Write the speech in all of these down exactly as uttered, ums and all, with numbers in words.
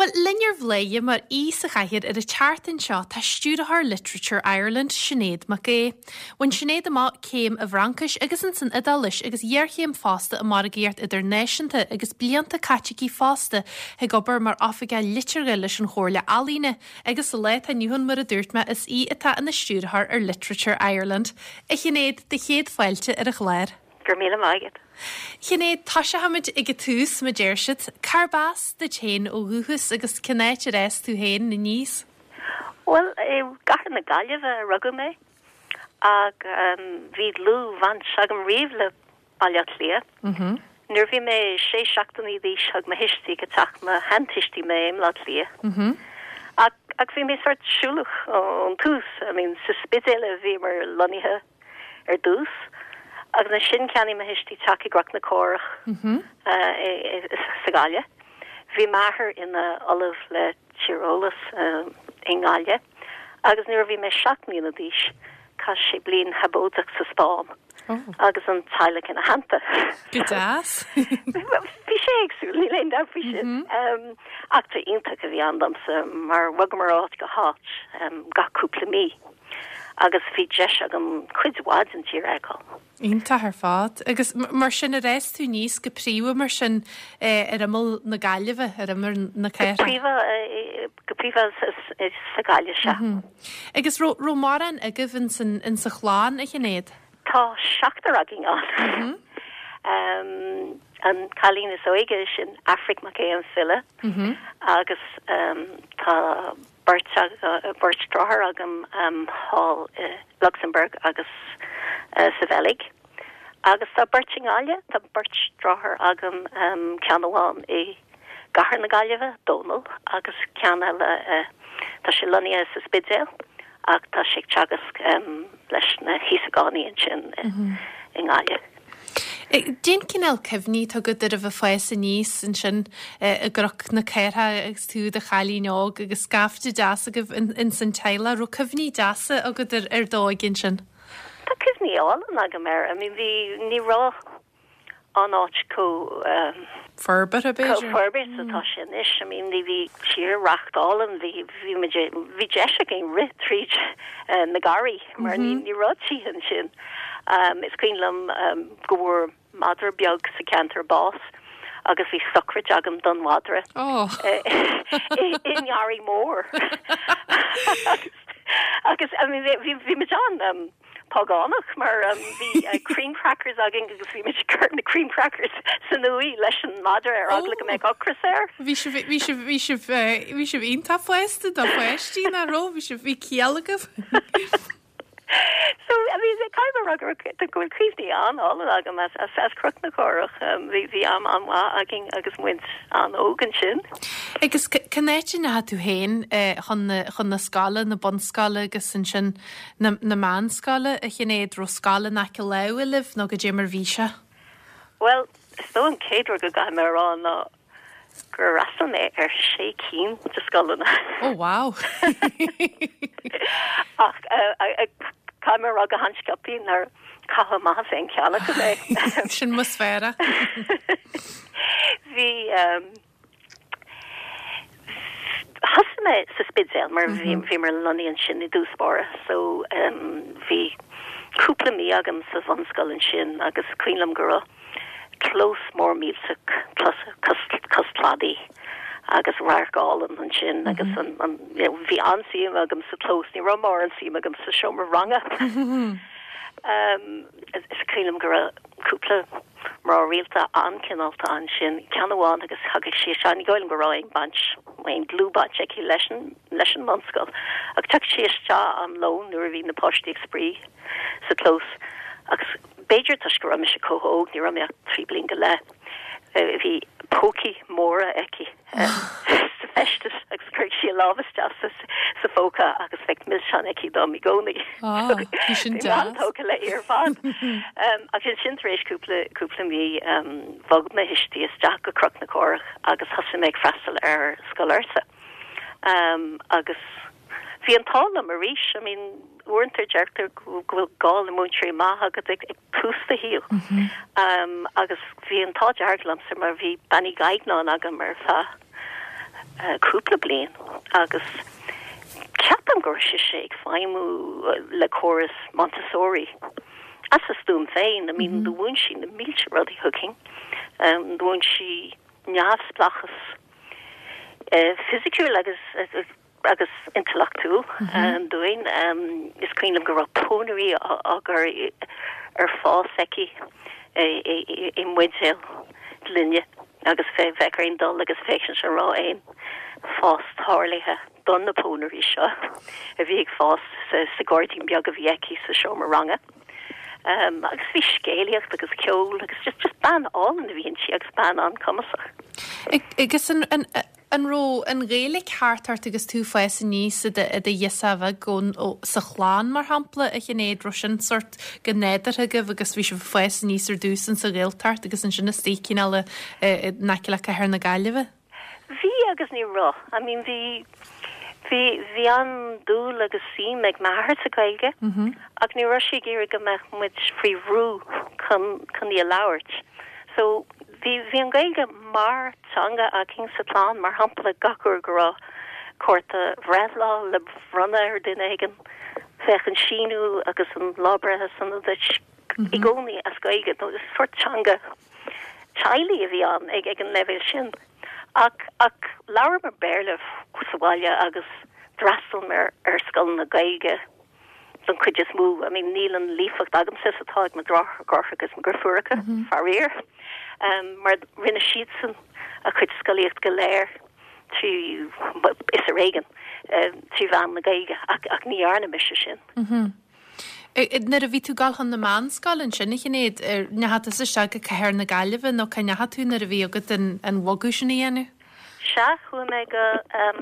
Bhuel, linn ar Bhladhaire mar aoi sa chathaoir ar an tseachtain seo tá Stiúrthóir Literature Ireland, Sinéad Mac Aodha. Bhain Sinéad amach céim i bhFraincis agus insan Iodáilis agus iarchéim fosta i margaíocht idirnáisiúnta agus blianta caite aici fosta ag obair mar oifigeach liteartha leis an Chomhairle Ealaíne agus sa lá atá inniu ann mar a dúirt mé is í atá ina stiúrthóir ar Literature Ireland. A Shinéad, do chéad fáilte ar an chlár. Go raibh míle maith agat. Sinéad, toiseochaimid ag an tús mar a deir siad, Cárb as duit féin ó dhúchas agus cén áit ar fhás tú féin aníos? Well i gcathair na Gaillimhe a rugadh mé ach um, bhí dlúthbhaint agam riamh le Baile Átha Cliath. Mm -hmm. Nuair bhí mé sé seachtainí d'aois thug mo thuistí go teach mo sheantuistí mé i mBaile Átha Cliath. Mm -hmm. Ach ach bhí mé sort siúlach ón tús, I mean sa Spidéal a bhíomar lonnaithe ar dtús. agus ansin cheannaigh mo thuistí teach i gCnoc na Córach mm -hmm. uh, sa Ghaillimh. Bhí m'athair ina ollamh le tíreolas uh, i nGaillimh, agus nuair bhí mé seacht mbliana d'aois chaith sé bliain shabótach sa Spáinn. Oh. agus an teaghlach ina theannta. Go deas. Bhí sé éagsúil ní léon faoi sin. Mm-hmm. Eachtra iontach a bhí ann domsa mar bhogamar ó áit go háit um, gach cúpla mí. agus bhí deis agam cuid mhaith den tír a fheiceáil. Iontach ar fad. Agus mar sin ar fhás tú aníos go príomha mar sin eh, ar imeall na Gaillimhe ar imeall na cathrach. Go príomha sa Ghaillimh sea. Mhm. Agus raibh mórán agaibh in sa chlann a Shinéad? Tá seachtar againn ann. Mhm. um, an cailín is óige sin Aifric Mac Aodha an file mm -hmm. agus um, tá beirt beirt deartháir agam um, thall i Luxembourg agus uh, sa Bheilg. Agus tá beirt i nGaillimh tá beirt deartháir agam um, ceann amháin i gcathair na Gaillimhe Dónal agus ceann eile uh, tá sé lonnaithe sa Spidéal ach tá sé ag teagasc um, leis na hÍosagánaigh ansin mm -hmm. i nGaillimh. Cén cineál cuimhní atá agat ar a bheith ag fás aníos ansin i gCnoc na Cártha agus tú i do chailín óg agus scaifte deas agaibh in san teaghlach, raibh cuimhní deasa agat ar ar d'óige ansin? Tá cuimhní álainn agam air, I mean bhí ní raibh an áit chomh um, Forbartha b'fhéidir? Forbartha atá sé anois, I mean ní bhí tírdhreach álainn bhí bhí bhí deis againn rith tríd uh, na garraí mar ní ní raibh tithe ansin. Um, is cuimhin liom um, go bhfuair madra beag sa ceantar bás agus bhí sochraid agam don mhadra oh. i ngarraí mór. agus I mean, bhí bhí muid an um, págánach mar um, bhí uh, cream crackers againn agus bhí muid ag cur na cream crackers san uaigh leis an madra ar eagla go mbeadh ocras air. Bhí sibh bhí sibh bhí sibh bhí sibh iontach fásta do pháistí nach raibh bhí sibh bhí ciall agaibh. So I mean caithfidh mé a rá go bhfuil cuimhní an-álainn agam as as as Cnoc na Córach um, bhí bhí am an-mhaith againn agus muid an-óg ansin. Agus cén áit a ndeachaigh tú féin chun chun na scoile na bunscoile agus ansin na, na meánscoile a Shinéad raibh scoil in aice láimhe libh nó goidé mar bhí sé? Well, is dóigh an chéad rud go gcaithfidh mé a rá ná gur fhreastail mé ar sé cinn de scoileanna. Oh wow. Ach caithfidh mé a rá go han-sciobtha nár caitheadh amach as aon cheann acu mé. Sin mo sféara. Bhí um, Thosaigh mé sa Spidéal mar bhí bhí mar lonnaithe ansin i dtús báire, so um, bhí cúpla mí agam sa bhunscoil ansin agus cuimhin liom go raibh clós mór millteach cos cladaí agus radharc álainn ansin agus an, an, you know, bhí an-suim agam sa clós, ní raibh mórán suim agam sa seomra ranga. um, is cuimhin liom go raibh cúpla mná rialta an-chineálta ansin ceann amháin agus thagadh sí isteach ní dóigh liom go raibh aon baint aon dlúthbhaint aici leis an leis an mbunscoil ach thagadh sí isteach am lón nuair a bhí na páistí ag spraoi sa clós agus b'fhéidir toisc go raibh mise chomh hóg ní raibh mé ach trí bliana go leith bhí pócaí móra aici sa fheisteas agus chuir sí a lámh isteach sa sa phóca agus bheadh milseán aici dom i gcónaí. Sin deas. Tógtha léi ar fad. Agus ansin tar éis cúpla cúpla mí bhog mo thuistí isteach go Cnoc na Córach agus thosaigh mé ag freastal ar Scoil Fhursa. Um, agus bhí an t-ádh liom arís, I mean, uaireanta deirtear go bhfuil gá le múinteoirí maithe agat ag ag tús do shaoil. Um, agus bhí an t-ádh dearg liomsa mar bhí Bean Uí Ghaigneáin agam ar feadh cúpla bliain agus ceapaim go raibh sise ag feidhmiú le córas Montessori. As a stuaim féin, I mean, do mhúin sí na mílte rudaí chugainn. Um, do mhúin sí neamhspleáchas uh, fisiciúil agus uh, agus intleachtúil mm -hmm. um, dúinn um, is cuimhin liom go raibh pónairí á gcur ar fás aici i mbuidéal gloine agus fé bheith aon dul agus féachaint an raibh aon fás tarlaithe don na pónairí seo a bhí ag fás sa, sa gairdín beag a bhí aici sa seomra ranga. Um, agus bhí scéalaíocht agus ceol agus just just bean álainn a bhí inti agus bean an-chumasach. Agus an, an, an raibh an Ghaeilge thart ort agus tú ag fás aníos i do ghirseach bheag ó sa chlann mar shampla a Shinéad raibh sin sort go nádúrtha agaibh agus bhí sibh ag fás aníos ar dtús in sa Ghaeltacht agus ansin istigh cineál in aice le cathair na Gaillimhe? Bhí agus ní raibh. I mean bhí bhí bhí an-dúil agus suim ag m'athair sa Ghaeilge mm -hmm. ach ní raibh sé ag iarraidh go mbeadh muid faoi bhrú chun chun í a labhairt. So bhí bhí an Ghaeilge mar teanga againn sa chlann mar shampla gach uair go raibh cárta breithlá le bronnadh ar duine éigin bheadh an síniú agus an lá breithe sona duit i gcónaí as Gaeilge nó is sort teanga teaghlaigh a bhí ann ag ag an leibhéal sin. Ach ach labhramar Béarla sa bhaile agus d'fhreastail mé ar scoil na Gaeilge don chuid is mó. I mean níl an líofacht agamsa is atá ag mo dheartháireacha agus mo dheirfiúracha mm -hmm. faraor. Um, mar rinne siadsan a chuid scolaíocht go léir trí is ar éigean um, trí mheán na Gaeilge ach, ach ní dhearna mise sin. Mm -hmm. Nuair a bhí tú ag gabháil chun na meánscoile ansin a Shinéad ndeachaigh tú isteach go cathair na Gaillimhe nó cá ndeachaigh tú nuair a bhí agat an, an bogadh sin a dhéanamh? Sea chuaigh mé go um,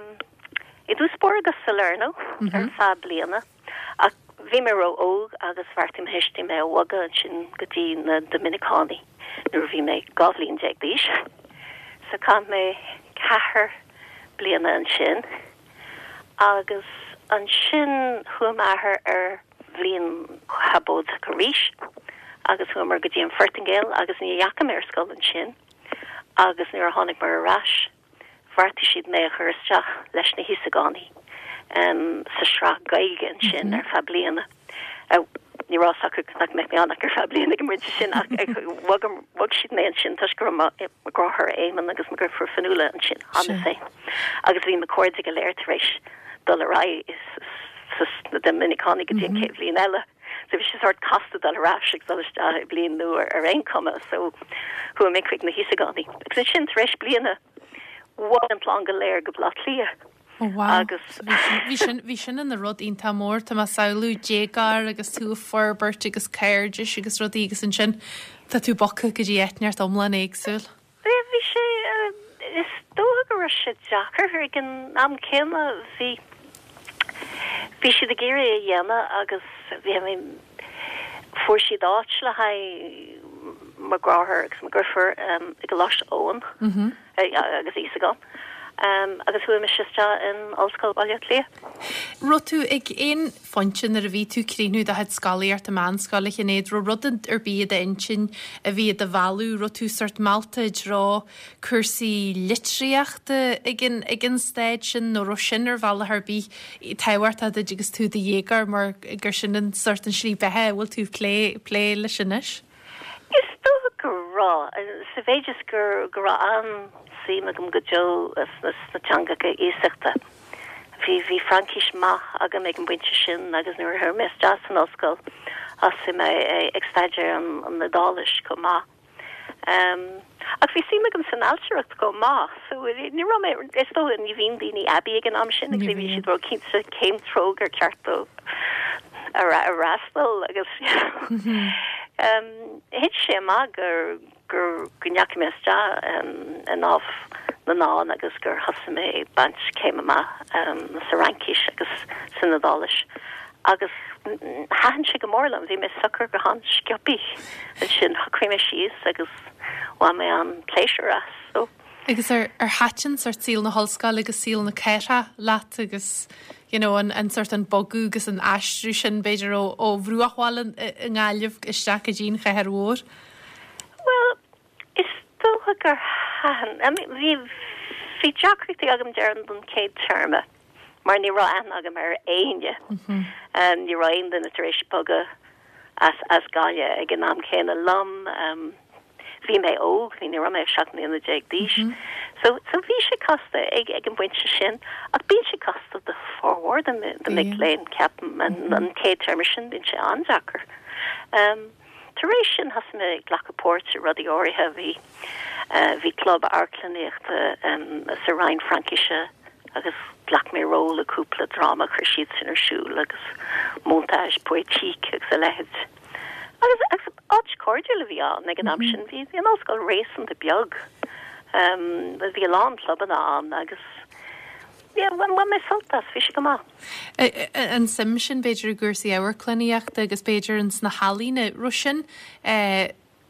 i dtús báire go Salerno mm -hmm. ar feadh bliana ach bhí mé ró-óg agus bheartaigh mo thuistí mé a bhogadh ansin go dtí na Doiminiceánaigh nuair bhí mé dhá bhliain déag d'aois. So chaith mé ceathair bliana ansin agus ansin chuaigh m'athair ar bhliain shabótach arís agus chuamar go dtí an Phortaingéil agus ní dheachaigh mé ar scoil ansin agus nuair a tháinig mar ar ais bheartaigh siad mé a chur isteach leis na hÍosagánaigh um, sa sraith Gaeilge ansin mm -hmm. ar feadh bliana. Uh, ní raibh a fhios acu nach mbeadh mé ann ach ar feadh bliana go mbrid sin ach bhog siad mé ansin toisc go raibh mo dheartháir Éamonn agus mo dheirfiúr Fionnuala ansin cheana féin. Agus bhí mo chairde go léir tar éis dul ar aghaidh sna Doiminiceánaigh go dtí an chéad bhliain eile. So bhí sé sort casta dul ar ais ag dul isteach i bliain nua ar aon chuma so chuaigh mé chuig na hÍosagánaigh. Agus ansin tar éis bliana bhog an chlann go léir go Baile Átha Cliath. Oh, wow. Agus bhí sin bhí sin ina rud iontach mór tá mé ag samhlú déagóir agus tú ag forbairt agus cairdis agus rudaí agus ansin tá tú bogtha go dtí áit iomlán éagsúil. Bhí sé is dócha go raibh sé deacair ag an am céanna bhí bhí siad ag iarraidh a dhéanamh agus bhí mé fuair siad áit le haghaidh mo dheartháir agus mo dheirfiúr um, i gColáiste Eoin mm -hmm. agus Íosagán. Um, agus chuaigh mé isteach in Ollscoil Bhaile Átha Cliath. Raibh tú ag aon phointe nuair a bhí tú ag críochnú do chuid scolaíochta meánscoile a Shinéad raibh rud ar bith i d'intinn a bhí do mhealladh raibh tú sort meallta i dtreo cúrsaí litríochta ag an ag an staid sin nó raibh sin ar bhealach ar bith tábhachtach duit agus tú i do dhéagóir mar gur sin an sort an slí beatha bhfuil tú plé plé leis anois? Is dócha go raibh sa mhéid is gur go raibh an-suim agam go deo sna sna teangacha iasachta. Bhí bhí Fraincis maith agam ag an bpointe sin agus nuair a chuaigh mé isteach san ollscoil thosaigh mé ag staidéar an an Iodáilis chomh maith. Um, ach bhí suim agam san ailtireacht chomh maith, so ní raibh mé is dócha ní bhíonn daoine aibí ag an am sin agus bhí siad róchinnte cén treo gur ceart dóibh a fhreastal agus um, thit sé amach gur gur go ndeachaigh mé isteach um, i nDámh na nDán agus gur thosaigh mé ag baint céim amach um, sa Fhraincis agus san Iodáilis. Agus thaitin sé go mór liom, bhí mé socair go han-sciobtha ansin shocraigh mé síos agus bhain mé an-pléisiúr as. So. Agus ar ar thaitin sort saol na hollscoile agus saol na cathrach leat agus you know, an, an sort an bogadh agus an aistriú sin b'fhéidir ó, ó bhruachbhaile i nGaillimh isteach go dtí an chathair mhór? Well, is dócha gur thaitin. I mean, bhí Bhí deacrachtaí agam déarfainn don chéad téarma mar ní raibh aithne agam ar éinne. Mm -hmm. um, ní raibh aon duine tar éis bogadh as as Gaillimh ag an am céanna liom. Um, bhí mé óg, bhí ní raibh mé seacht mbliana déag d'aois. Mm -hmm. So so bhí sé casta ag ag an bpointe sin ach bíonn sé casta do formhór de de mic léinn ceapaim an mm -hmm. an chéad téarma sin bíonn sé an-deacair. Um, Tar éis sin thosaigh mé glacadh páirt i rudaí áirithe bhí uh, bhí club amharclannaíochta um, sa Roinn Fraincise agus ghlac mé ról i cúpla dráma chuir siad sin ar siúl agus montage poétique agus a leithéid. Agus agus áit chairdiúil a bhí ann ag an am sin bhí bhí an ollscoil réasúnta beag. Um, bhí a lán clubanna ann agus yeah, bhain mé sult as bhí sé go maith. An suim sin b'fhéidir i gcúrsaí amharclannaíochta agus b'fhéidir in sna healaíona raibh sin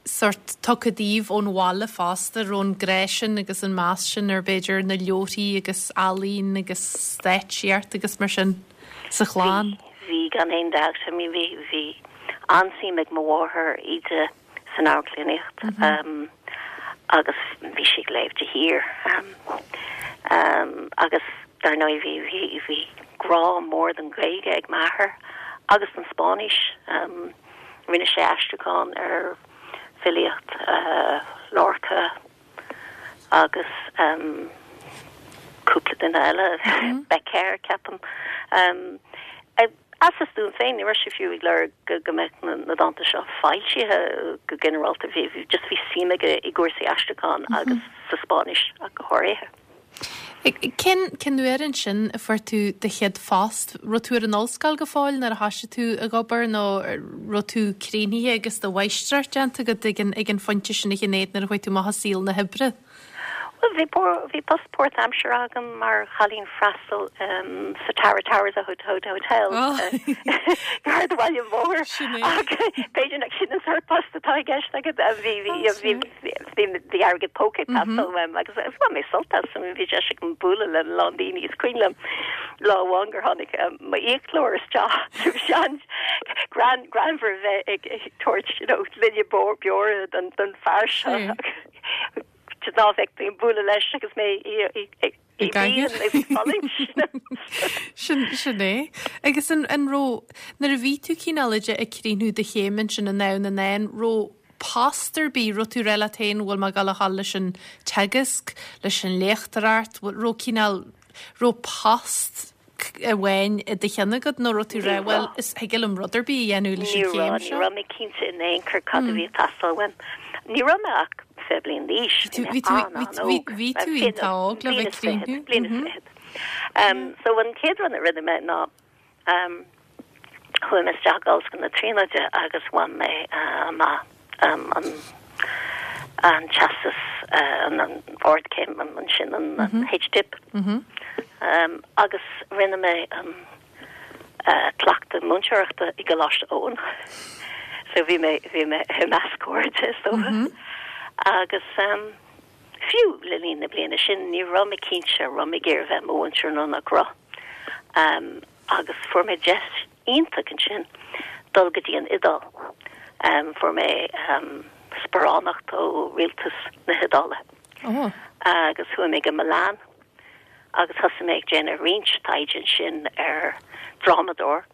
sort tugtha daoibh ón bhaile fosta raibh an grá sin agus an meas sin ar b'fhéidir na leabharthaí agus ealaín agus stáitsíocht agus mar sin sa chlann. Bhí gan aon dabht I mean bhí bhí an-suim ag mo mháthair Íde san amharclannaíocht mm -hmm. um, agus bhí sí ag léamh de shíor um, um, agus dar ndóigh bhí bhí bhí grá mór don Ghaeilge ag m'athair agus an Spáinnis um, rinne sé aistriúchán ar filíocht uh, Lorca agus um, cúpla duine eile mm -hmm. Bécquer ceapaim. Um, as a stuaim féin ní raibh sé fiú ag lorg go go mbeadh na, na dánta seo foilsithe go ginearálta bhí bhí just bhí suim aige i gcúrsaí aistriúcháin mm -hmm. agus sa Spáinnis ach go háirithe. Cén cén uair ansin a fuair tú do chéad phost raibh tú ar an ollscoil go fóill nuair a thosaigh tú ag obair nó raibh tú críochnaithe agus do mháistreacht déanta agat ag an ag an phointe sin a Shinéad nuair a chuaigh tú amach i saol na hoibre. Well, bhí bhí post páirtaimseartha agam mar chailín freastail um, sa Tower Towers a Hotel Hotel oh. Gar do Bhaile an Bhóthair B'fhéidir nach sin an sórt post atá i gceist agat bhí bhí airgead póca mm agus bhain mé sult as bhí deis agam bualadh le lán daoine is cuimhin liom lá amháin gur tháinig m'fhiaclóir isteach sean gran greannmhar bheith ag tabhairt gloine beora don don fear seo. ná bheith bíon bualadh leis agus mé Sin sin é. Agus an an raibh nuair a bhí tú cineál ag críochnú do chéim sin an ann an an raibh post ar bith raibh tú rá féin bhfuil mé ag gabháil leis an teagasc leis an léachtóireacht raibh cineál raibh post amháin i do cheann agat nó raibh tú rá bhuel is thig liom rud ar bith a dhéanamh leis an chéim seo. Ní raibh mé cinnte in aon chor cad a bhí ag teastáil uaim. Ní raibh mé ach fiche bliain d'aois. Bhí tú iontach óg le bheith críochnú. Bliain is fiche. So an chéad rud a rinne mé ná um, chuaigh mé isteach Ollscoil na Tríonóide agus bhain mé amach um, an an teastas uh, an, an ardchéim an sin an, an HDip. Mm -hmm. um, agus rinne mé um, uh, cleachtadh múinteoireachta i gColáiste Eoin. So bhí mé bhí mé i measc cairde is dócha. Mm -hmm. Agus um, fiú le linn na bliana sin ní raibh mé cinnte raibh mé ag iarraidh bheith i mo mhúinteoir nó nach raibh. Um, agus fuair mé deis iontach ansin dul go dtí an Iodáil. Um, fuair mé um, sparánacht ó rialtas na hIodáile. Oh. Agus chuaigh mé go Milan agus thosaigh mé ag déanamh roinnt taighde ansin ar drámadóir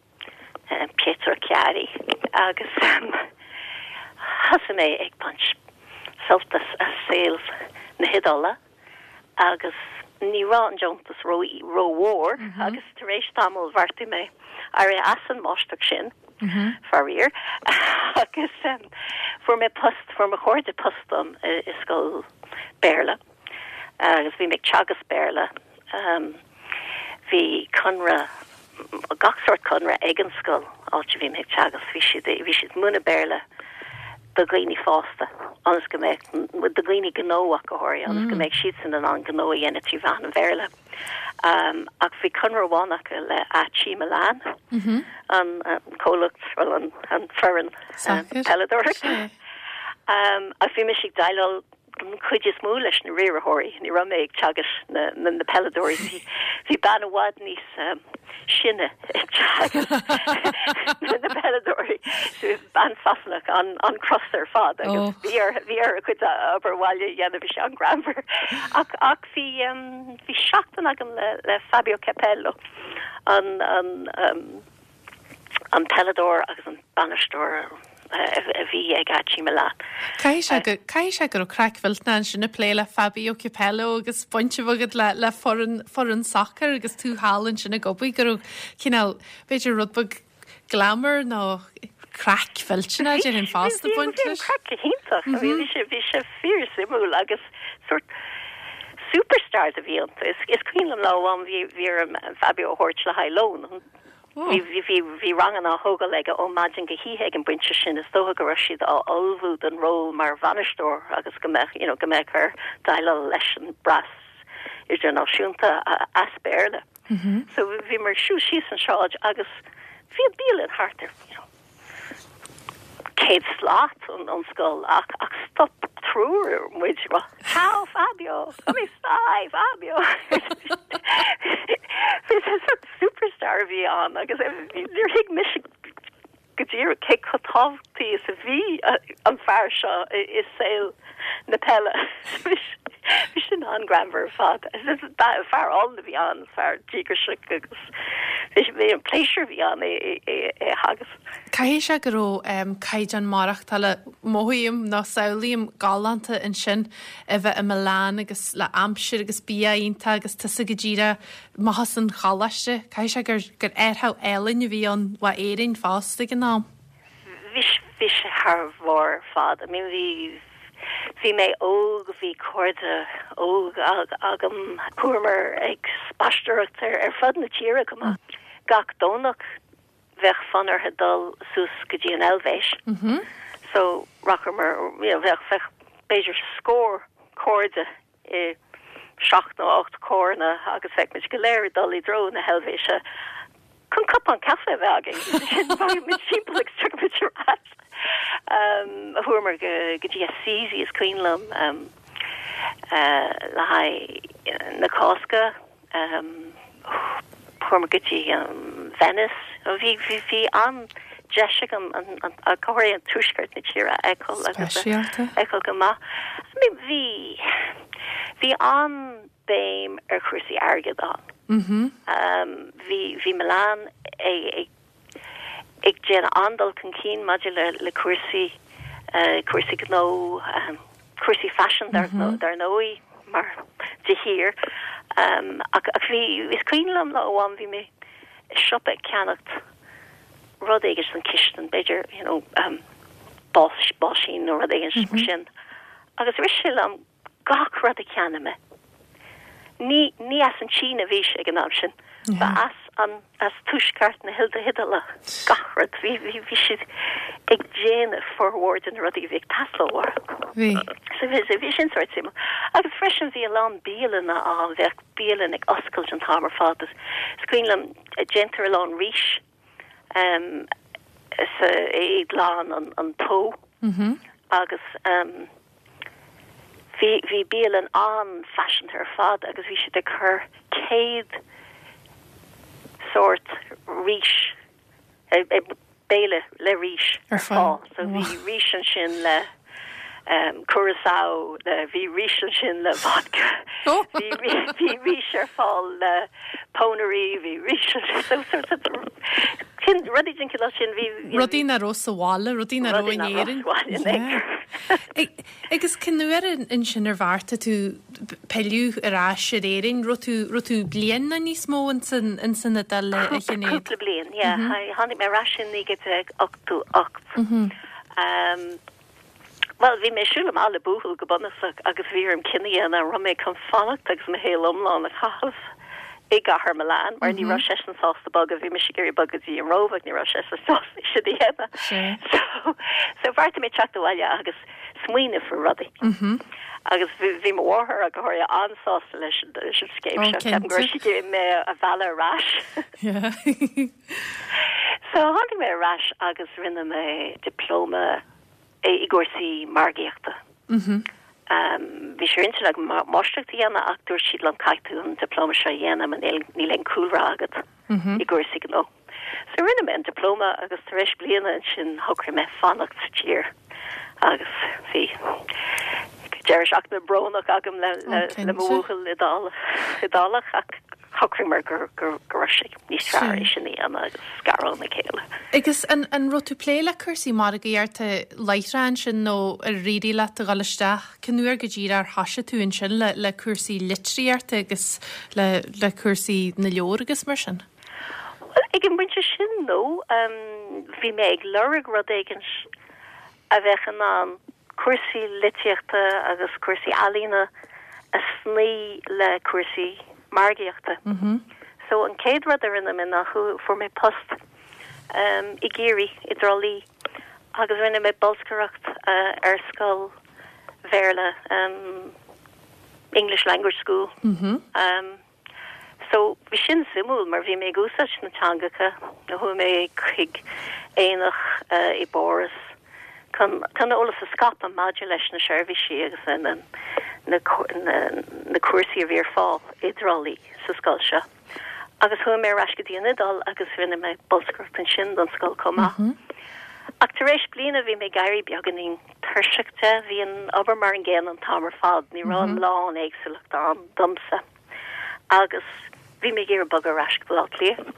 um, Pietro Chiari agus um, thosaigh mé ag baint sult as as saol na hIodáile agus ní raibh an deontas ró rómhór mm -hmm. agus tar éis tamaill bheartaigh mé éirí as an máistreacht sin mm -hmm. faraor agus um, fuair mé post fuair mo chairde post dom i, i scoil Béarla agus bhí mé ag teagasc Béarla um, bhí conradh gach sórt conradh ag an scoil áit a bhí mé ag teagasc bhí siad bhí siad múineadh Béarla do dhaoine fásta ionas go mbeadh do dhaoine gnó ach go háirithe ionas go mbeadh siad san in ann gnó a dhéanamh trí mheán an Bhéarla. Um, ach bhí conradh amháin acu le AC Milan mm -hmm. an, an comhlacht well, an, an foireann Sacair. peileadóireachta. Um, ach bhí mé ag déileáil an chuid is mó leis na riarthóirí, ní raibh mé ag teagasc na, na, na peileadóirí. Bhí, bhí bean i bhfad níos um, sine ag teagasc na peileadóirí. So, bean Sasanach an, an crosta ar fad agus Oh. bhí ar bhí ar a cuid obair bhaile a dhéanamh bhí sé an-ghreannmhar. Ach ach bhí um, bhí seachtain agam le, le Fabio Capello an an um, an peileadóir agus an bainisteoir a bhí ag AC Milan. Caithfidh sé go caithfidh sé go raibh craic mhillteanach ansin ag plé le Fabio Capello agus baint agat le le foireann foireann sacair agus tú thall ansin ag obair go raibh cineál b'fhéidir rud beag glamour nó craic mhillteanach ar an fosta baint leis. Craic iontach bhí sé bhí sé fíorsuimiúil agus sort superstar a bhí iontu. Is is cuimhin liom lá amháin bhí bhí orm Fabio a thabhairt le haghaidh lón. Bhí bhí bhí bhí ranganna á thógáil aige ó maidin go hoíche ag an bpointe sin is dócha go raibh siad á ullmhú don ról mar bhainisteoir agus go mbeadh you know, go mbeadh air déileáil leis an bpreas idirnáisiúnta as Béarla. Mm -hmm. So bhí mar siú síos an sráid agus bhí bialann thart ar you know, céad slat ón ón scoil ach ach stop triúr muid rá Ciao Fabio come stai Fabio Bhí sort superstar a bhí ann agus níor thuig mise go díreach cé chomh tábhachtach is a bhí an fear seo i saol na peile Bhí sin an-ghreannmhar ar fad fear álainn a bhí ann fear díograiseach agus bhí an pléisiúr bhí ann é é agus. Caithfidh sé go raibh caighdeán maireachtála mothaím nó samhlaím galánta ansin a bheith i Milan agus le aimsir agus bia iontach agus tusa go díreach amach as an choláiste. Caithfidh sé gur gur athrú álainn a bhí ann ó Éirinn fosta ag an am. Bhí bhí sé thar barr ar fad. I mean bhí bhí mé óg bhí cairde óg agam chuamar ag spaisteoireacht ar ar fud na tíre go maith. Gach Domhnach bheadh fonn orthu dul suas go dtí an Eilvéis. Mm -hmm. So rachamar you know, bheadh bheadh b'fhéidir scór cairde i seacht nó ocht carranna agus bheadh muid go léir dul i dtreo na hEilvéise. Chun cupán caife a bheith againn muid timpeall ag stu Um, chuamar go go dtí Assisi is cuimhin liom um, uh, le haghaidh na Cásca um, chuamar go dtí um, Venice bhí bhí bhí an deis agam an an an choir an tuaisceart na tíre a fheiceáil agus Speisialta. fheiceáil go maith. I mean, bhí bhí an-bhéim ar chúrsaí airgid ann. Mm -hmm. Um, bhí bhí Milan ag ag ag déanamh an-dul chun cinn maidir le le cúrsaí uh, cúrsaí gnó um, cúrsaí fashion dar mm -hmm. dar ndóigh mar de shíor. Um, ach, ach bhí is cuimhin liom lá amháin bhí mé i siopa ag ceannacht rud éigin san chistin b'fhéidir you know, um, bás báisín nó rud éigin mm -hmm. sin. Agus rith sé liom gach rud a cheannaigh mé. Ní ní as an Tsín a bhí sé ag an am sin. Ba as an as tuaisceart na hilda hidala gach rud bhí bhí bhí siad ag déanamh formhór de na rudaí bhí ag teastáil. Bhí. So bhí bhí sin sort suimiúil. Agus freisin bhí a lán bialanna ann bheadh bialann ag oscailt an t-am ar fad. Is cuimhin liom déantar a lán rís um, sa i glan an, an Po Mm -hmm. agus um, bhí bhí bialann an-fhaiseanta ar fad agus bhí siad ag cur céad sort rís béile le rís Ar fáil. So bhí rís ansin le um, curaçao le bhí rís ansin le vodka. Oh. Bhí bhí rís ar fáil le pónairí bhí rís so so sin rudaí den chineál sin bhí Rudaí nach raibh sa bhaile, rudaí nach raibh in Éirinn. Agus cén uair ansin ar bheartaigh tú pilleadh ar ais ar Éirinn, raibh tú raibh tú bliain nó níos mó in san in san Iodáil a Shinéad. Cúpla bliain, yeah. Tháinig mé ar ais in naoi déag ochtó ocht. Um, Well, bhí mé siúl amach le buachaill go bunúsach agus bhí orm cinneadh a dhéanamh raibh mé chun fanacht agus mo shaol iomlán a chaitheamh i gcathair Milan, mar ní raibh seisean sásta bogadh bhí mise ag iarraidh bogadh go dtí an Róimh ní raibh seisean sásta sin a dhéanamh. So so bheartaigh mé teacht abhaile agus smaoineamh faoi rudaí. Agus bhí mo mháthair go háirithe an-sásta leis leis an scéim seo ceapaim go raibh sí mé a mhealladh ar ais. So tháinig mé ar ais agus rinne mé dioplóma i gcúrsaí margaíochta. Mm -hmm. Bhí sé ar intinn agam máistreacht a dhéanamh ach dúirt siad liom caithfidh tú an diplóma seo a dhéanamh mar níl níl aon cúlra agat i gcúrsaí gnó. So rinne mé an diplóma agus tar éis bliana ansin shocraigh mé fanacht sa tír agus bhí deireadh seachtaine brónach agam le le le mo bhuachaill Iodálach ach shocraigh mé gur gur go raibh sé níos fearr é sin a dhéanamh agus scaradh óna chéile. Agus an an raibh tú ag plé le cúrsaí margaíochta láithreach ansin nó ar éirigh leat a dhul isteach cén uair go díreach ar thosaigh tú ansin le le cúrsaí litríochta agus le le cúrsaí na leabhar agus mar sin? Well ag an bpointe sin nó um, bhí mé ag lorg rud éigin a bheadh in ann cúrsaí litríochta agus cúrsaí ealaíne a shnoí le cúrsaí margaíochta. Mm -hmm. So an chéad rud a rinne mé ná fuair mé post um, i gCiarraí i dTrá Lí agus rinne mé bolscaireacht uh, ar scoil Bhéarla um, English Language School. Mm -hmm. um, so bhí sin suimiúil mar bhí mé ag úsáid na teangacha na chuaigh mé chuig aonach uh, i bPáras chun chun eolas a scaipeadh maidir leis na seirbhísí agus na na na, na cúrsaí a bhí ar fáil i dTrá Lí sa scoil seo. Agus chuaigh mé ar ais go dtí an Iodáil agus rinne mé bolscaireacht ansin don scoil chomh maith. Mm -hmm. Ach tar éis bliana bhí mé ag éirí beagáinín tuirseach de bhí an obair mar an gcéanna an t-am ar fad, ní raibh mm -hmm. lán éagsúlacht ann domsa. Agus bhí mé ag iarraidh bogadh ar ais go Baile Átha Cliath.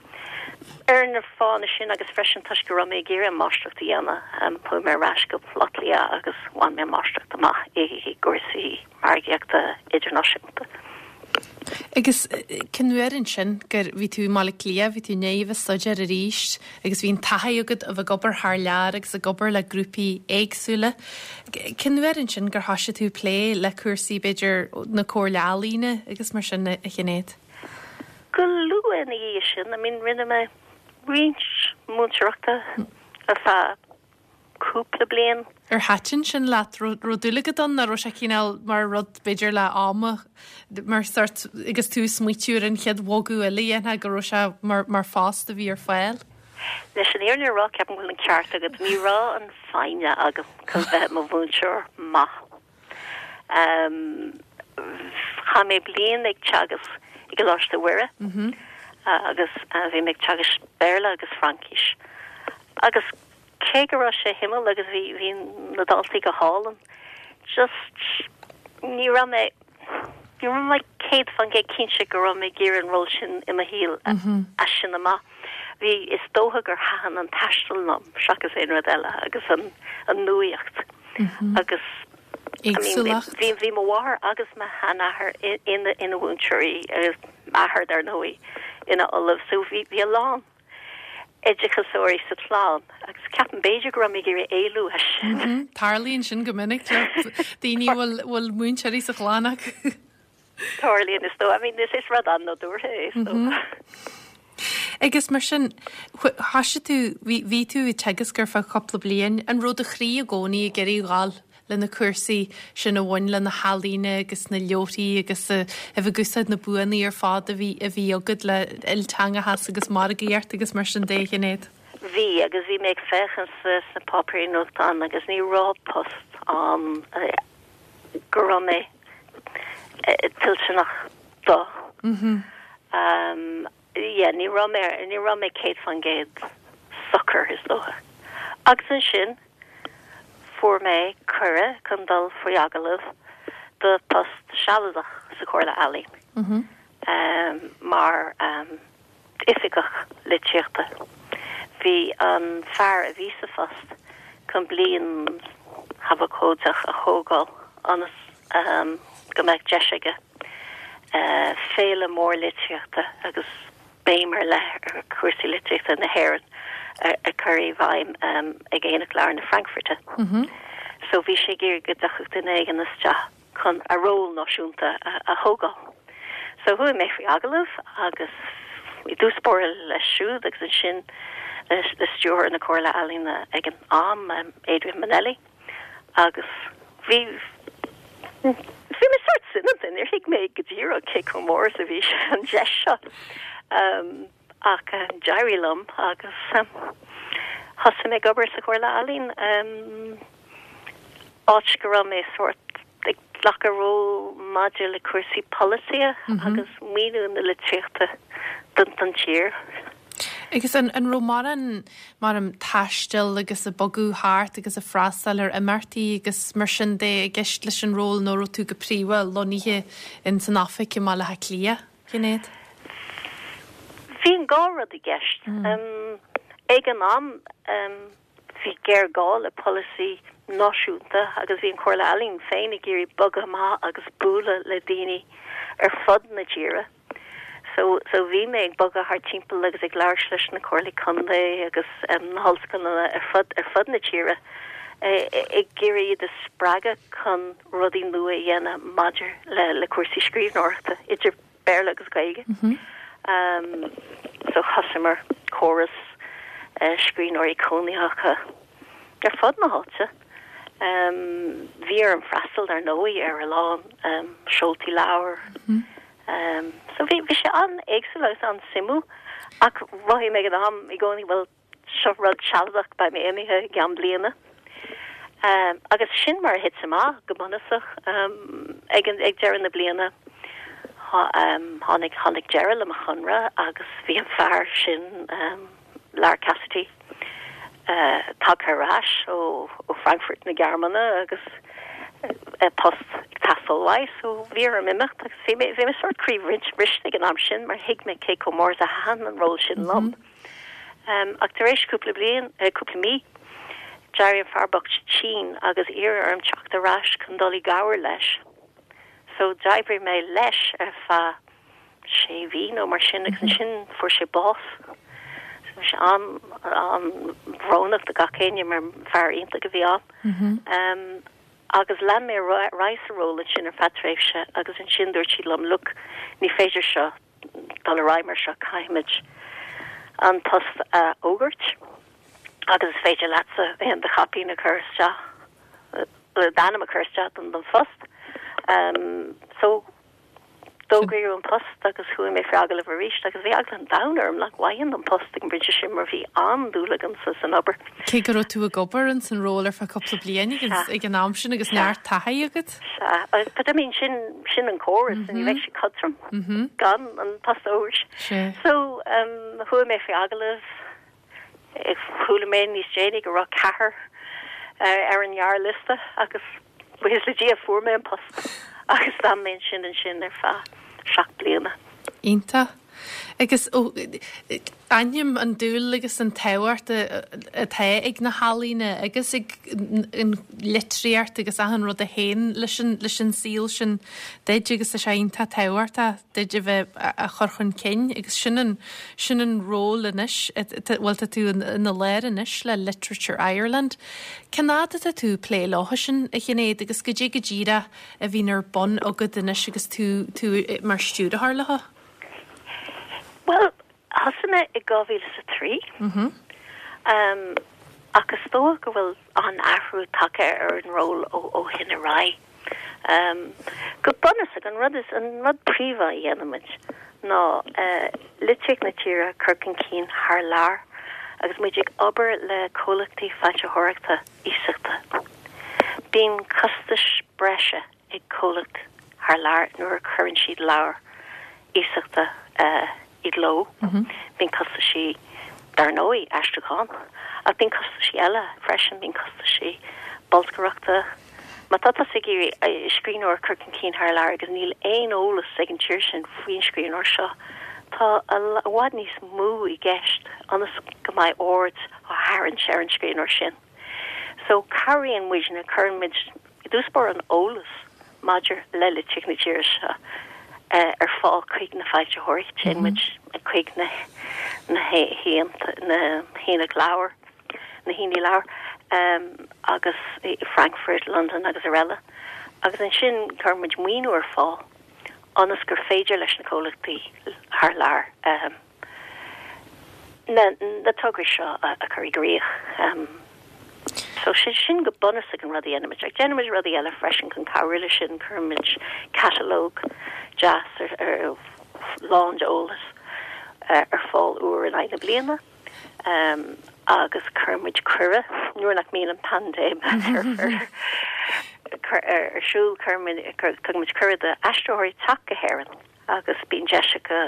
Ar na fáthanna sin agus freisin toisc go raibh mé ag iarraidh máistreacht a dhéanamh um, chuaigh mé ar ais go Baile Átha Cliath agus bhain mé máistreacht amach i i gcúrsaí margaíochta idirnáisiúnta. Agus cén uair ansin gur bhí tú i mBaile Átha Cliath, bhí tú néomh staidéar arís agus bhí an taithí agat a bheith ag obair thar lear agus ag obair le grúpaí éagsúla. Cén uair ansin gur thosaigh tú plé le cúrsaí b'fhéidir na Comhairle Ealaíon agus mar sin a Shinéad. Go luath ina dhiaidh sin, I mean rinne mé roinnt múinteoireachta ar feadh cúpla bliain. Ar thaitin sin leat raibh dúil agat ann nó raibh sé cineál mar rud b'fhéidir le ama mar sort agus tú smaoitiú ar an chéad bhogadh eile dhéanamh go raibh sé mar, mar phost a bhí ar fáil? Leis an fhírinne a rá ceapaim go bhfuil an ceart agat ní raibh an fhoighne agam chun bheith mo mhúinteoir maith. Um, Chaith mé bliain ag teagasc i gColáiste Mhuire Mm -hmm. uh, agus uh, bhí mé ag teagasc Béarla agus Fraincis. Agus cé go raibh sé suimiúil agus bhí bhí na daltaí go hálainn. Just ní raibh mé ní raibh mé céad faoin gcéad cinnte go raibh mé ag iarraidh an ról sin i mo shaol Mm -hmm. as sin amach. Bhí is dócha gur thaitin an taisteal liom seachas aon rud eile agus an an nuaíocht Mm -hmm. agus I mean, Éagsúlacht. bhí bhí mo mháthair agus mo sheanathair ina ina mhúinteoirí agus m'athair dar ndóigh ina ollamh so bhí bhí a lán oideachasóirí sa chlann agus ceapaim b'fhéidir go raibh mé ag iarraidh éalú as sin. Mm -hmm. Tarlaíonn sin go minic le daoine bhfuil bhfuil múinteoirí sa chlann acu. Tarlaíonn is dócha I mean is is rud an-nádúrtha é is Mm -hmm. Agus mar sin thosaigh tú bhí tú ag teagasc ar feadh cúpla bliain an raibh do chroí i gcónaí ag iarraidh dul le na cúrsaí sin a bhain le na healaíona agus na leabharthaí agus a bheith ag úsáid na buanna ar fad a bhí a bhí agat le ilteangachas agus margaíocht agus mar sin de a Shinéad. Bhí agus bhí mé ag féachaint sa sna páipéirí nuachtáin agus ní raibh post ann go raibh mé tuillteanach dó. Mm -hmm. Um, yeah, ní raibh mé ní raibh mé céad faoin gcéad socair is dócha. Agus ansin fuair mé cuireadh chun dul faoi agallamh do post sealadach sa Chomhairle Ealaíon. Mm -hmm. um, mar um, oifigeach litríochta. Bhí an fear a bhí sa phost chun bliain shabóidach a thógáil ionas um, go mbeadh deis aige uh, féile mór litríochta agus béim ar leith ar chúrsaí litríochta na hÉireann a chur i bhfeidhm um, ag Aonach Leabhar na Frankfurte. Mm -hmm. So bhí sé ag iarraidh go dtiocfadh duine éigin isteach chun a ról náisiúnta a, a thógáil. So chuaigh mé faoi agallamh agus i dtús báire leis siúd agus ansin le stiúrthóir na Comhairle Ealaíon ag an am um, Adrian Manelli agus bhí bhí mé sort soineanta níor thuig mé go díreach cé chomh mór a bhí an deis seo. Um, ach um, d'éirigh liom agus um, thosaigh mé ag obair sa Chomhairle Ealaíon um, áit go raibh mé sort ag Glacadh ról maidir le cúrsaí polasaithe agus maoiniú na litríochta don don tír. Agus an an raibh mórán mar an taisteal agus a bogadh thart agus a freastal ar imeachtaí agus mar sin de i gceist leis an ról nó raibh tú go príomha lonnaithe in san oifig i mBaile Átha Cliath, Sinéad? Bhí an dhá rud i gceist. Um, ag an am um, bhí géarghá le polasaí náisiúnta agus bhí an Chomhairle Ealaíon féin ag iarraidh bogadh amach agus bualadh le daoine ar fud na tíre. So, so bhí mé ag bogadh thart timpeall agus ag labhairt leis na comhairlí contae agus um, na hollscoileanna ar fud ar fud na tíre ag iarraidh iad a spreagadh chun rudaí nua a dhéanamh maidir le le cúrsaí scríbhneoireachta idir Béarla agus Gaeilge. Mm -hmm. um, so thosaíomar córas uh, scríbhneoirí cónaitheacha ar fud na háite. Um, bhí orm freastal ar ndóigh ar a lán um, seoltaí leabhar. Mm -hmm. Um, so bhí bhí sé an-éagsúil agus an-suimiúil ach mhothaigh mé ag an am i gcónaí bhfuil seo rud sealadach beidh mé imithe i gceann bliana. Um, agus sin mar a thit amach go bunúsach um, ag an ag deireadh na bliana um, tháinig tháinig deireadh le mo chonradh agus bhí an fear sin um, Lar Cassidy uh, tagtha ar ais ó ó Frankfurt na Gearmáine agus uh, post ag teastáil uaidh so bhí orm imeacht agus bhí mé bhí mé sort croíbhriste ag an am sin mar thuig mé cé chomh mór is a thaitin an ról sin liom. Mm -hmm. Um, ach tar éis cúpla bliain uh, cúpla mí d'éirigh an fear bocht tinn agus iarradh orm teacht ar ais chun dul i gcabhair leis. So d'oibrigh mé leis ar feadh sé mhí nó mar sin agus ansin fuair sé bás. So sé an an-bhrónach do gach éinne mar fear iontach a bhí ann. Mm -hmm. Um, agus lean mé ar aghaidh sa ról sin ar feadh tréimhse agus ansin dúirt siad liom look ní féidir seo dul ar aghaidh mar seo caithfimid an post a fhógairt agus is féidir leatsa aon do chaipín a chur isteach le d'ainm a chur isteach don don phost. Um, so d'fhógraíodh an post agus chuaigh mé faoi agallamh arís agus bhí eagla an domhain orm nach bhfaighinn an post ag an bpointe sin mar bhí an-dúil agamsa san obair. Cé go raibh tú ag obair in san ról ar feadh cúpla bliain agus ag an am sin agus neart taithí agat? Sea, but I mean sin sin an córas mm -hmm. ní bheidh sé cothrom mm -hmm. gan an post a fhógairt. So um, chuaigh mé faoi agallamh chuala mé níos déanaí go raibh ceathrar uh, ar an ngearrliosta agus buíochas le Dia fuair mé an post agus d'fhan mé sin ansin ar feadh seacht bliana. Iontach. Agus aithním an dúil agus an tábhacht atá ag na healaíona agus ag an litríocht agus achan rud a théann leis an leis an saol sin duit agus sé iontach tábhachtach duit a bheith a chur chun cinn agus sin an sin an ról anois bhfuil tá tú ina lár anois le Literature Ireland. Cén fhad atá tú plé leo sin a Shinéad agus go dtí go díreach a bhíonn ar bun agat anois agus tú tú mar stiúrthóir leo? Well, thosaigh mé i dhá mhíle sa trí. Um, ach is dócha go bhfuil an athrú tagtha ar an ról ó ó shin ar aghaidh. Um, go bunúsach an rud is an rud príomha a dhéanaimid ná uh, litríocht na tíre a chur chun cinn thar lear agus muid ag obair le comhlachtaí foilsitheoireachta iasachta. Bíonn costais breise ag comhlacht thar lear nuair a chuireann siad leabhar iasachta uh, i gcló. Mm -hmm. Bíonn costaisí dar ndóigh aistriúchán, ach bíonn costaisí eile freisin bíonn costaisí bolscaireachta. Má tá tú ag iarraidh scríbhneoir a chur chun cinn thar lear agus níl aon eolas ag an tír sin faoin scríbhneoir seo. Tá i bhfad níos mó i gceist ionas go mbeidh aird á tharraingt ar an scríbhneoir sin. So cabhraíonn muidne cuirimid i dtús báire an eolas maidir le litríocht na tíre seo uh, ar fáil chuig na foilsitheoirí sin muid chuig na na na haonaigh leabhar na haonaigh leabhar um, agus i Frankfurt, London agus araile. Agus ansin cuirimid maoiniú ar fáil ionas gur féidir leis na comhlachtaí thar lear um, na, na tograí seo a, a chur i gcrích. Um, so sin sin go bunúsach an rud a dhéanaimid. Ach déanaimid rudaí eile freisin chun cabhrú leis sin cuirimid catalóg deas ar, ar lán d'eolas uh, ar fáil uair in aghaidh na bliana. Um, agus cuirimid cuireadh nuair nach mbíonn an paindéim ar, ar, ar siúl tugaimid cuireadh d'aistritheoirí teacht go hÉirinn agus bíonn deis acu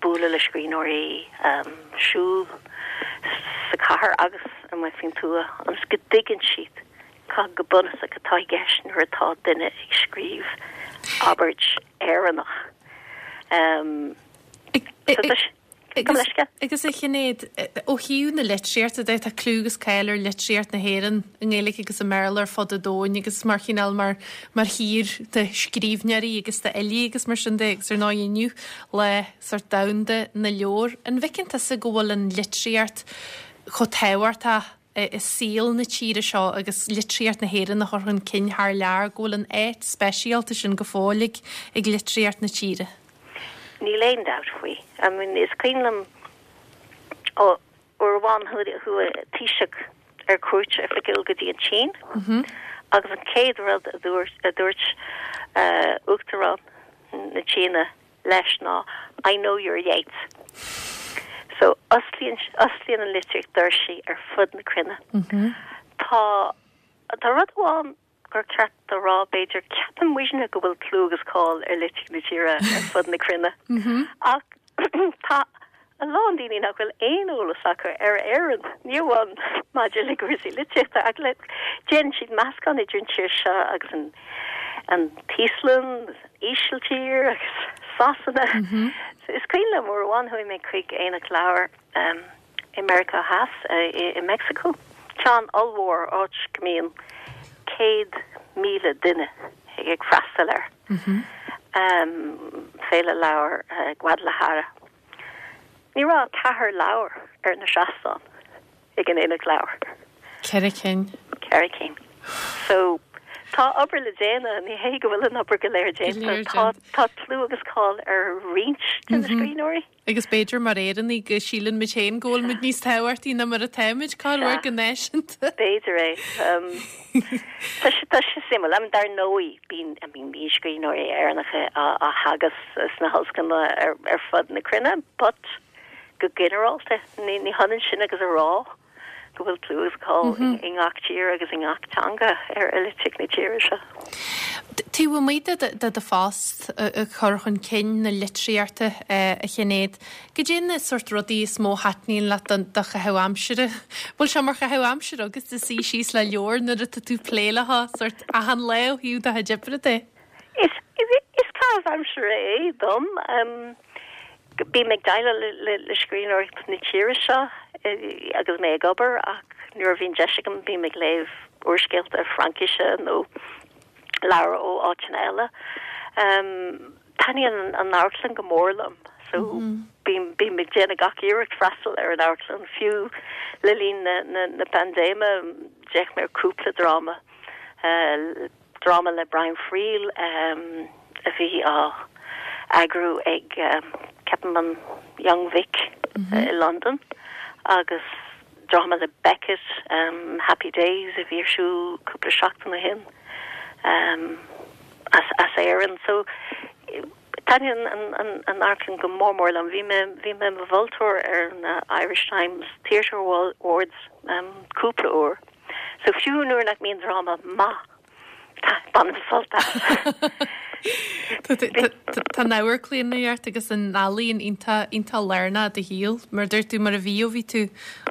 bualadh le scríbhneoirí siúl sa chathair agus amuigh faoin tuath ionas go dtuigeann siad cad go bunúsach atá i gceist nuair atá duine ag scríobh abairt Éireannach. Um, Agus, agus a Shinéad, ó thaobh na litríochta de tá clú agus cáil ar litríocht na hÉireann i nGaeilge agus i mBéarla ar fud an domhain agus mar chineál mar mar thír de scríbhneoirí agus de fhilí agus mar sin de agus ar ndóigh inniu lá sort domhanda na leabhar. An bhfeiceann tusa go bhfuil an litríocht chomh tábhachtach i saol na tíre seo agus litríocht na hÉireann a chur chun cinn thar lear go bhfuil an áit speisialta sin go fóill ag ag litríocht na tíre. Níl aon dabht faoi. I mean, is cuimhin liom ó uair amháin chuaigh Taoiseach ar cuairt oifigiúil go dtí an tSín agus an chéad rud a dúirt a dúirt uh, Uachtarán na Síne leis ná I know you're Yeats. So osclaíonn osclaíonn an litríocht doirse ar fud na cruinne. Tá tá rud amháin gur ceart a rá b'fhéidir ceapann muidne go bhfuil clú agus cáil ar litríocht na tíre ar fud na cruinne. Ach tá a lán daoine nach bhfuil aon eolas acu ar Éirinn ní amháin maidir le cúrsaí litríochta ach le déanann siad meascán idir an tír seo agus an an tÍoslainn, Ísiltír agus Sasana. So is cuimhin liom uair amháin chuaigh mé chuig aonach leabhar um, i Meiriceá Theas uh, i, i Mexico. Ceann ollmhór áit go mbíonn céad míle duine ag ag freastal air. Um, féile leabhar uh, Guadalajara. Ní raibh ceathair leabhar ar na seastáin ag an aonach leabhar. Ceithre cinn. Ceithre cinn. So tá obair le déanamh ní hé go bhfuil an obair go léir déanta tá tá clú agus cáil ar roinnt de na scríbhneoirí. Agus b'fhéidir mar Éireannaigh go síleann muid féin go bhfuil muid níos tábhachtaí ná mar atáimid cá go náisiúnta. B'fhéidir é. Um, tá sé tá sé suimiúil am dar ndóigh bíonn I mean bíonn scríbhneoirí Éireannacha á á theagasc sna hollscoileanna ar ar fud na cruinne, but go ginearálta ní ní hionann sin agus a rá go bhfuil clú agus cáil i ngach tír agus i ngach teanga ar litríocht na tíre seo. Taobh amuigh de de do phost a chur chun cinn na litríochta a Shinéad, Cad é na sort rudaí is mó a thaitníonn leat don do chaitheamh aimsire. Bhfuil sé mar chaitheamh aimsire agus de suí síos le leabhar nuair atá tú plé le sort achan lá ó thaobh do chuid oibre de. Is is caitheamh aimsire é dom. Um, Bím ag déileáil le, le, le scríbhneoireacht na tíre seo agus mé ag obair ach nuair a bhíonn deis agam bím ag léamh úrscéalta Fraincise nó leabhair ó áiteanna eile. Um, Taitníonn an amharclann go mór liom, so bím bím ag déanamh gach iarracht freastal ar an amharclann fiú le linn na, na, na paindéime d'fhéach mé ar cúpla dráma. Uh, dráma le Brian Friel um, a bhí á eagrú ag um, ceapaim an Young Vic mm -hmm. uh, i London agus dráma le Beckett um, Happy Days a bhí ar siúl cúpla seachtain ó shin um, as, as Éirinn so taitníonn an, an, an amharclann go mór mór liom bhí mé bhí mé moltóir ar na Irish Times Theatre Awards um, cúpla uair so fiú nuair nach mbíonn dráma maith bainim sult as. Tá an amharclannaíocht agus an ealaín iontach iontach lárnach i do shaol, mar dúirt tú mar a bhí ó bhí tú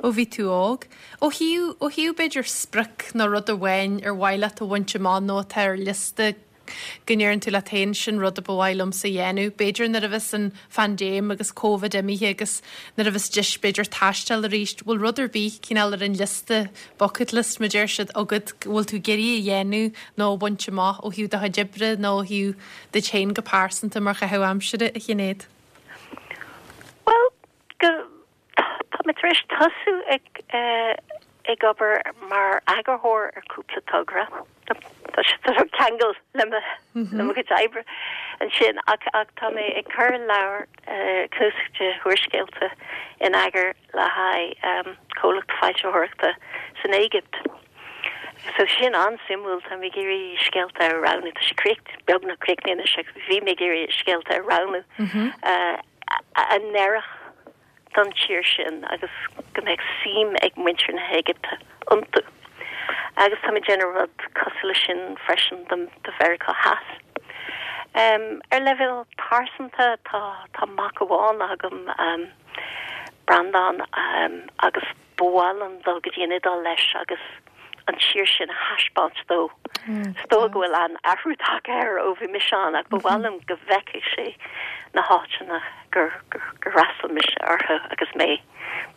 ó bhí tú óg. Ó thaobh ó thaobh b'fhéidir sprioc nó rud amháin ar mhaith leat a bhaint amach nó atá ar liosta go ndeireann tú leat féin sin rud a ba mhaith liomsa dhéanamh. B'fhéidir nuair a bheas an phaindéim agus Covid imithe agus nuair a bheas deis b'fhéidir taisteal arís, bhfuil rud ar bith cineál ar an liosta bucket list mar deir siad agat go bhfuil tú ag iarraidh a dhéanamh nó baint amach ó thaobh do chuid oibre nó ó thaobh duit féin go pearsanta mar chaitheamh aimsire a Shinéad. Well go tá mé tar éis tosú ag uh, ag obair mar eagarthóir ar cúpla togra. Tá sé ceangal le le mo chuid oibre ansin ach ach tá mé ag cur leabhar cnuasach de úrscéalta in eagar le haghaidh um, comhlacht foilsitheoireachta san Éigipt. So sin an-suimiúil tá mé ag iarraidh scéalta a roghnú tá sé críoch beagnach críochnaithe sé bhí mé ag iarraidh scéalta a roghnú uh, a d'oirfeadh don tír sin agus go mbeidh suim ag muintir na hÉigipte iontu. Agus tá mé ag déanamh rud cosúil leis sin freisin do do Mheiriceá Theas. Um, ar leibhéal pearsanta tá tá mac amháin agam um, Breandán um, agus ba mhaith liom dul go dtí an Iodáil leis agus an tír sin a thaispeáint dó. Mm, Is dóigh go bhfuil an athrú tagtha air ó bhí mise ann ach ba mhaith liom go bhfeicfeadh sé na háiteanna gur gur gur fhreastail mise orthu agus mé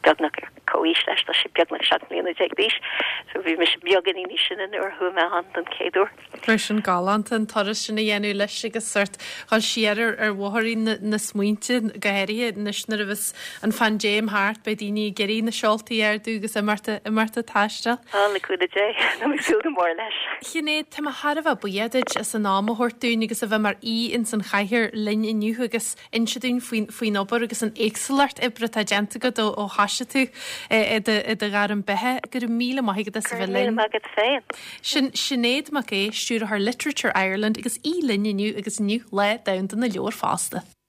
beagnach ar comhaois leis tá sé beagnach seacht mbliana déag d'aois, so bhí mise beagáinín níos sine nuair a chuaigh mé ann don chéad uair. Bheadh sin galánta an turas sin a dhéanamh leis agus sort dhul siar ar ar bhóithrín na, na smaointe go háirithe anois nuair a bheas an phaindéim thart beidh daoine ag iarraidh na seoltaí a ardú agus imeacht imeacht ag taisteal. Á le cúnamh Dé tá mé ag súil go mór leis. Sinéad tá mé thar a bheith buíoch duit as an am a thabhairt dúinn agus a bheith mar aoi ins an chathaoir linn inniu agus inse dúinn faoin faoin obair agus an éagsúlacht oibre atá déanta agat ó ó thosaigh tú i do i do ghairm beatha go raibh míle maith agat as a bheith Míle linn. maith agat féin. Sin Sinéad Mac Aodha, stiúrthóir Literature Ireland agus í linn inniu agus inniu Lá Domhanda na Leabhar fosta.